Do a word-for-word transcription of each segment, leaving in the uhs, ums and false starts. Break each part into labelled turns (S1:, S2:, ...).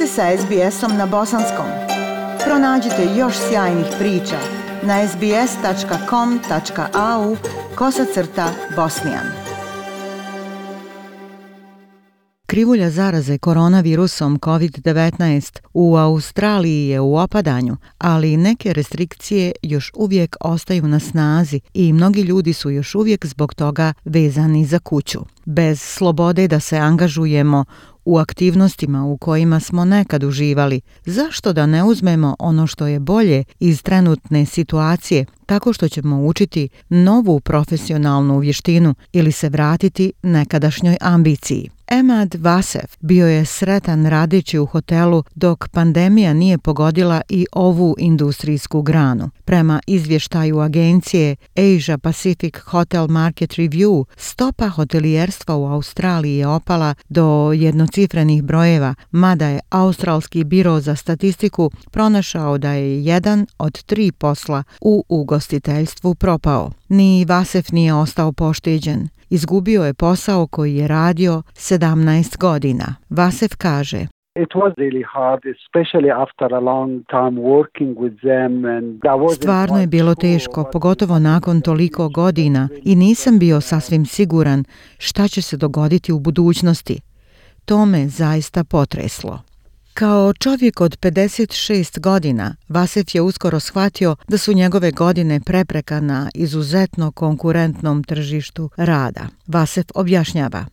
S1: ste sa es be esom na bosanskom. Pronađite još sjajnih priča na es be es tačka com tačka a u kosacrta bosnijan. Krivulja zaraze koronavirusom kovid devetnaest u Australiji je u opadanju, ali neke restrikcije još uvijek ostaju na snazi i mnogi ljudi su još uvijek zbog toga vezani za kuću. Bez slobode da se angažujemo u aktivnostima u kojima smo nekad uživali, zašto da ne uzmemo ono što je bolje iz trenutne situacije tako što ćemo učiti novu profesionalnu vještinu ili se vratiti nekadašnjoj ambiciji? Emad Vasef bio je sretan radeći u hotelu dok pandemija nije pogodila i ovu industrijsku granu. Prema izvještaju agencije Asia Pacific Hotel Market Review, stopa hotelijerstva u Australiji je opala do jednocifrenih brojeva, mada je Australski biro za statistiku pronašao da je jedan od tri posla u ugostiteljstvu propao. Ni Vasef nije ostao pošteđen. Izgubio je posao koji je radio sedamnaest godina. Vasef kaže:
S2: It was really hard, especially after a long time working with them and I wasn't
S1: Stvarno je bilo teško, pogotovo nakon toliko godina i nisam bio sasvim siguran šta će se dogoditi u budućnosti. To me zaista potreslo. Kao čovjek od pedeset šest godina, Vasef je uskoro shvatio da su njegove godine prepreka na izuzetno konkurentnom tržištu rada. Vasef objašnjava: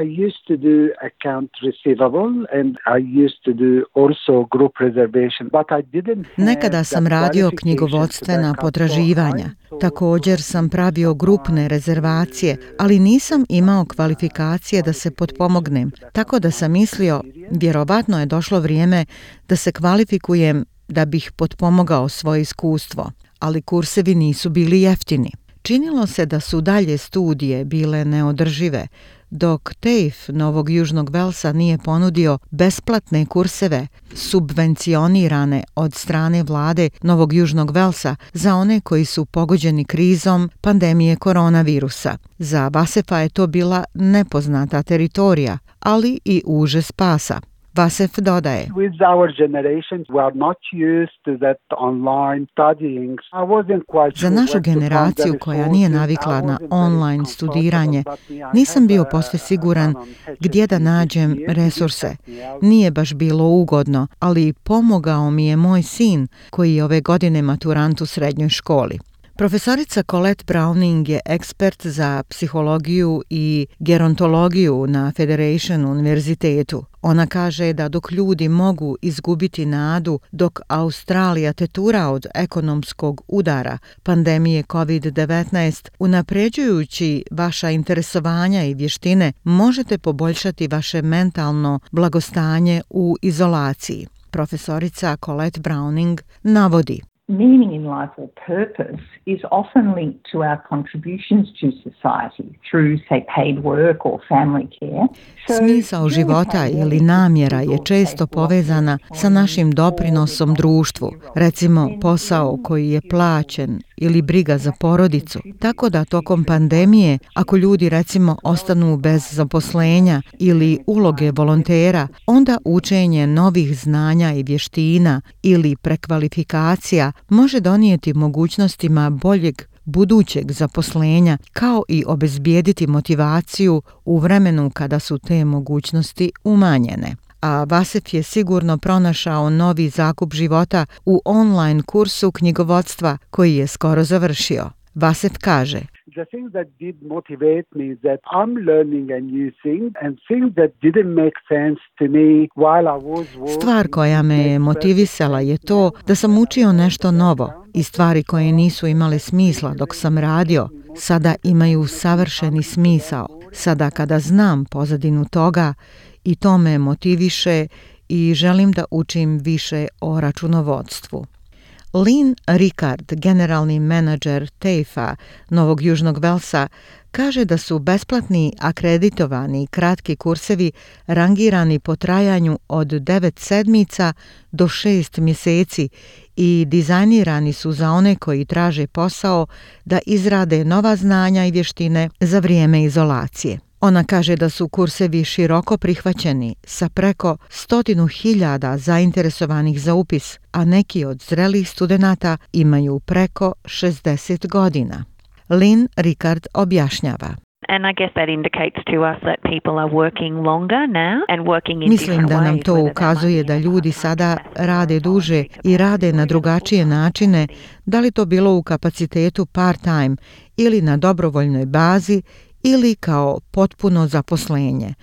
S2: I used to do account receivable and I used to do also group reservation, but I didn't have
S1: Nekada sam radio knjigovodstvena potraživanja. Također sam pravio grupne rezervacije, ali nisam imao kvalifikacije da se potpomognem. Tako da sam mislio, vjerovatno je došlo vrijeme da se kvalifikujem da bih potpomogao svoje iskustvo, ali kursevi nisu bili jeftini. Činilo se da su dalje studije bile neodržive, dok T A F E Novog Južnog Velsa nije ponudio besplatne kurseve subvencionirane od strane vlade Novog Južnog Velsa za one koji su pogođeni krizom pandemije koronavirusa. Za Vasefa je to bila nepoznata teritorija, ali i uže spasa. Vasef dodaje:
S2: With our generation, we are not used to that online studying. I wasn't quite
S1: Za našu generaciju koja nije navikla na online studiranje, nisam bio posve siguran gdje da nađem resurse. Nije baš bilo ugodno, ali pomogao mi je moj sin koji je ove godine maturant u srednjoj školi. Profesorica Colette Browning je ekspert za psihologiju i gerontologiju na Federation univerzitetu. Ona kaže da dok ljudi mogu izgubiti nadu dok Australija tetura od ekonomskog udara pandemije kovid devetnaest, unapređujući vaša interesovanja i vještine, možete poboljšati vaše mentalno blagostanje u izolaciji. Profesorica Colette Browning navodi:
S3: Meaning in life or purpose is often linked to our contributions to society through, say, paid work or family care.
S1: Smisao života ili namjera je često povezana sa našim doprinosom društvu, recimo posao koji je plaćen ili briga za porodicu. Tako da tokom pandemije, ako ljudi recimo ostanu bez zaposlenja ili uloge volontera, onda učenje novih znanja i vještina ili prekvalifikacija može donijeti mogućnostima boljeg budućeg zaposlenja, kao i obezbijediti motivaciju u vremenu kada su te mogućnosti umanjene. A Vasef je sigurno pronašao novi zakup života u online kursu knjigovodstva koji je skoro završio. Vasef kaže:
S2: The thing that did motivate me is that I'm learning a new thing and things that didn't make sense to me while I was working.
S1: Stvar koja me je motivisala je to da sam učio nešto novo i stvari koje nisu imale smisla dok sam radio, sada imaju savršeni smisao. Sada kada znam pozadinu toga i to me motiviše i želim da učim više o računovodstvu. Lynn Rickard, generalni menadžer T A F E Novog Južnog Velsa, kaže da su besplatni akreditovani kratki kursevi rangirani po trajanju od devet sedmica do šest mjeseci i dizajnirani su za one koji traže posao da izrade nova znanja i vještine za vrijeme izolacije. Ona kaže da su kursevi široko prihvaćeni sa preko stotinu hiljada zainteresovanih za upis, a neki od zrelih studenata imaju preko šezdeset godina. Lynn Ricard objašnjava.
S4: And I guess that indicates to us that people are working longer now and working in
S1: Mislim
S4: different
S1: da nam
S4: ways,
S1: to
S4: whether that
S1: ukazuje
S4: might be
S1: da
S4: in
S1: ljudi
S4: part-time
S1: sada
S4: capacity
S1: rade
S4: or
S1: duže
S4: full-time
S1: i rade na
S4: capacity,
S1: drugačije načine, da li to bilo u kapacitetu part-time ili na dobrovoljnoj bazi ili kao potpuno zaposlenje,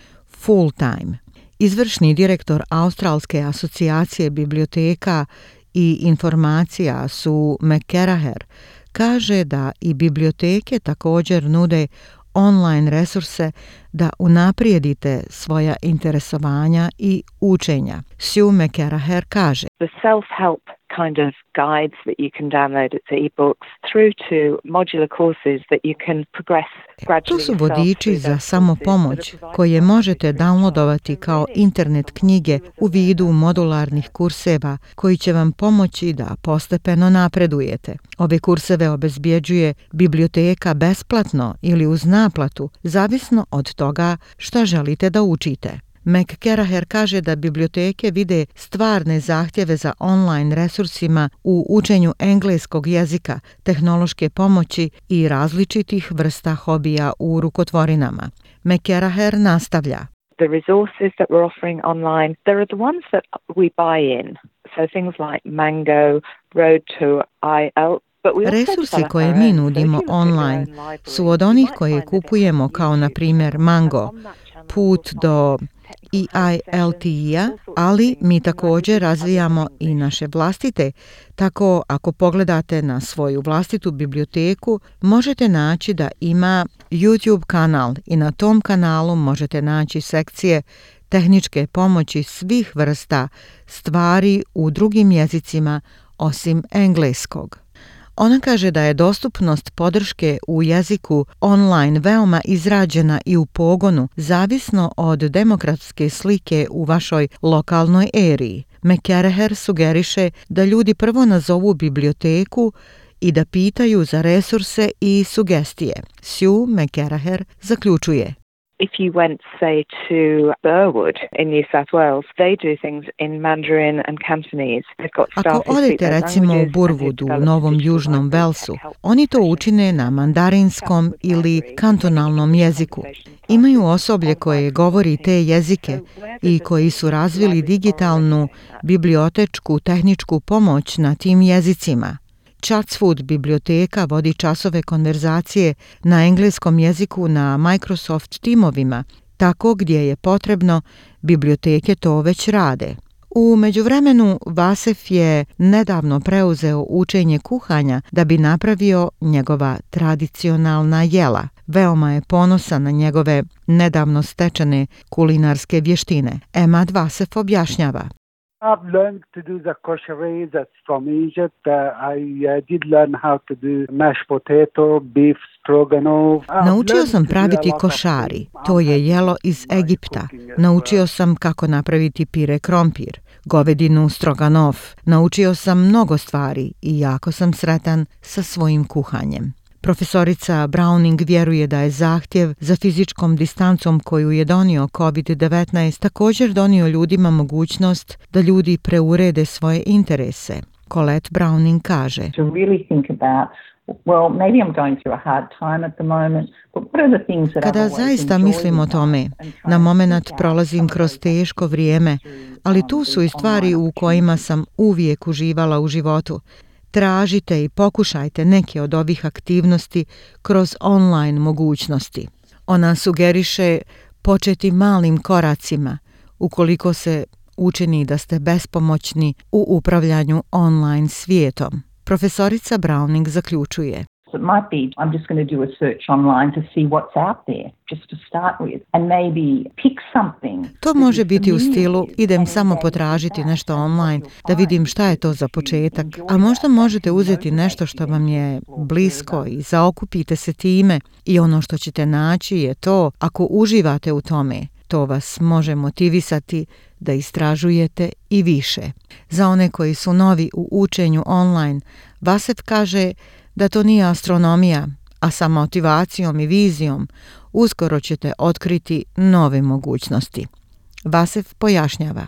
S1: full-time. Izvršni direktor Australske asocijacije biblioteka i informacija Sue McCaraher kaže da i biblioteke također nude online resurse da unaprijedite svoja interesovanja i učenja. Sue McCaraher kaže:
S5: The self-help kind of guides that you can download as e-books through to modular courses that you can progress gradually.
S1: Tu su vodiči za samopomoć koje možete downloadovati kao internet knjige u vidu modularnih kurseva koji će vam pomoći da postepeno napredujete. Ove kurseve obezbjeđuje biblioteka besplatno ili uz naplatu, zavisno od toga šta želite da učite. McCaraher kaže da biblioteke vide stvarne zahtjeve za online resursima u učenju engleskog jezika, tehnološke pomoći i različitih vrsta hobija u rukotvorinama. McCaraher nastavlja:
S5: The resources that we're offering online, there are the ones that we buy in. So things like Mango, Road to I E L T.
S1: Resursi koje mi nudimo online su od onih koje kupujemo, kao na primjer Mango, Put do E I L T-a, ali mi također razvijamo i naše vlastite, tako ako pogledate na svoju vlastitu biblioteku, možete naći da ima YouTube kanal i na tom kanalu možete naći sekcije tehničke pomoći svih vrsta stvari u drugim jezicima osim engleskog. Ona kaže da je dostupnost podrške u jeziku online veoma izrađena i u pogonu, zavisno od demokratske slike u vašoj lokalnoj eriji. McCaraher sugeriše da ljudi prvo nazovu biblioteku i da pitaju za resurse i sugestije. Sue McCaraher zaključuje:
S5: If you went, say, to Burwood in New South Wales, they do things in Mandarin and Cantonese. They've got staff
S1: Ako
S5: who speak
S1: odete
S5: those
S1: recimo u
S5: languages and
S1: Burwoodu
S5: who've
S1: u
S5: developed
S1: Novom
S5: digital
S1: Južnom
S5: libraries
S1: Velsu,
S5: that help
S1: oni to
S5: professionals
S1: učine na mandarinskom ili kantonalnom jeziku. Imaju osoblje koje govori te jezike i koji su razvili digitalnu bibliotečku tehničku pomoć na tim jezicima. Chatswood biblioteka vodi časove konverzacije na engleskom jeziku na Microsoft timovima, tako gdje je potrebno, biblioteke to već rade. U međuvremenu Vasef je nedavno preuzeo učenje kuhanja da bi napravio njegova tradicionalna jela. Veoma je ponosan na njegove nedavno stečene kulinarske vještine. Emad Vasef objašnjava:
S2: I've learned to do the koshery that's from Egypt. Uh, I uh, did learn how to do mashed potato, beef stroganoff.
S1: Naučio sam praviti košari, to je jelo iz Egipta. Naučio sam kako napraviti pire krompir, govedinu stroganoff. Naučio sam mnogo stvari i jako sam sretan sa svojim kuhanjem. Profesorica Browning vjeruje da je zahtjev za fizičkom distancom koju je donio kovid devetnaest također donio ljudima mogućnost da ljudi preurede svoje interese. Colette Browning kaže:
S3: To really think about, well, maybe I'm going through a hard time at the moment, but what are the things that I've
S1: Kada
S3: always
S1: zaista
S3: enjoyed
S1: mislim o
S3: in
S1: tome,
S3: life and try
S1: na
S3: and
S1: momenat
S3: pick out
S1: prolazim
S3: some of
S1: kroz
S3: those
S1: teško vrijeme, ali tu su i stvari u kojima sam uvijek uživala u životu. Tražite i pokušajte neke od ovih aktivnosti kroz online mogućnosti. Ona sugeriše početi malim koracima ukoliko se učini da ste bespomoćni u upravljanju online svijetom. Profesorica Browning zaključuje:
S3: It might be I'm just going to do a search online to see what's out there, just to start with, and maybe pick something.
S1: To može biti u stilu idem samo potražiti nešto online da vidim šta je to za početak, a možda možete uzeti nešto što vam je blisko i zaokupite se time i ono što ćete naći je to, ako uživate u tome, to vas može motivisati da istražujete i više. Za one koji su novi u učenju online, Vasef kaže da to nije astronomija, a sa motivacijom i vizijom uskoro ćete otkriti nove mogućnosti. Vasef pojašnjava.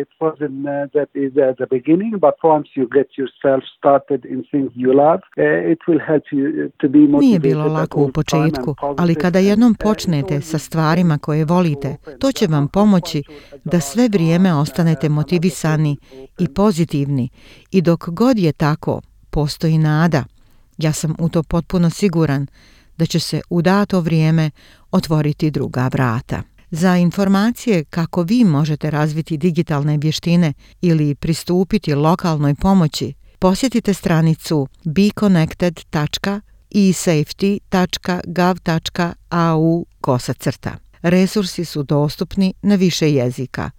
S2: It wasn't uh, that easy at the beginning, but once you get yourself started in things you love, uh, it will help you to be motivated.
S1: Nije bilo lako u početku, ali kada jednom počnete sa stvarima koje volite, to će vam pomoći da sve vrijeme ostanete motivisani i pozitivni i dok god je tako, postoji nada. Ja sam u to potpuno siguran da će se u dato vrijeme otvoriti druga vrata. Za informacije kako vi možete razviti digitalne vještine ili pristupiti lokalnoj pomoći, posjetite stranicu be connected dot e safety dot gov dot a u kosacrta. Resursi su dostupni na više jezika: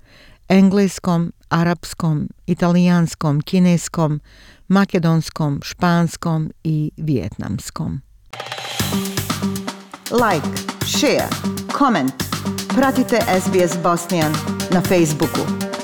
S1: engleskom, arapskom, italijanskom, kineskom, makedonskom, španskom i vijetnamskom. Like, share, comment. Pratite S B S Bosnian na Facebooku.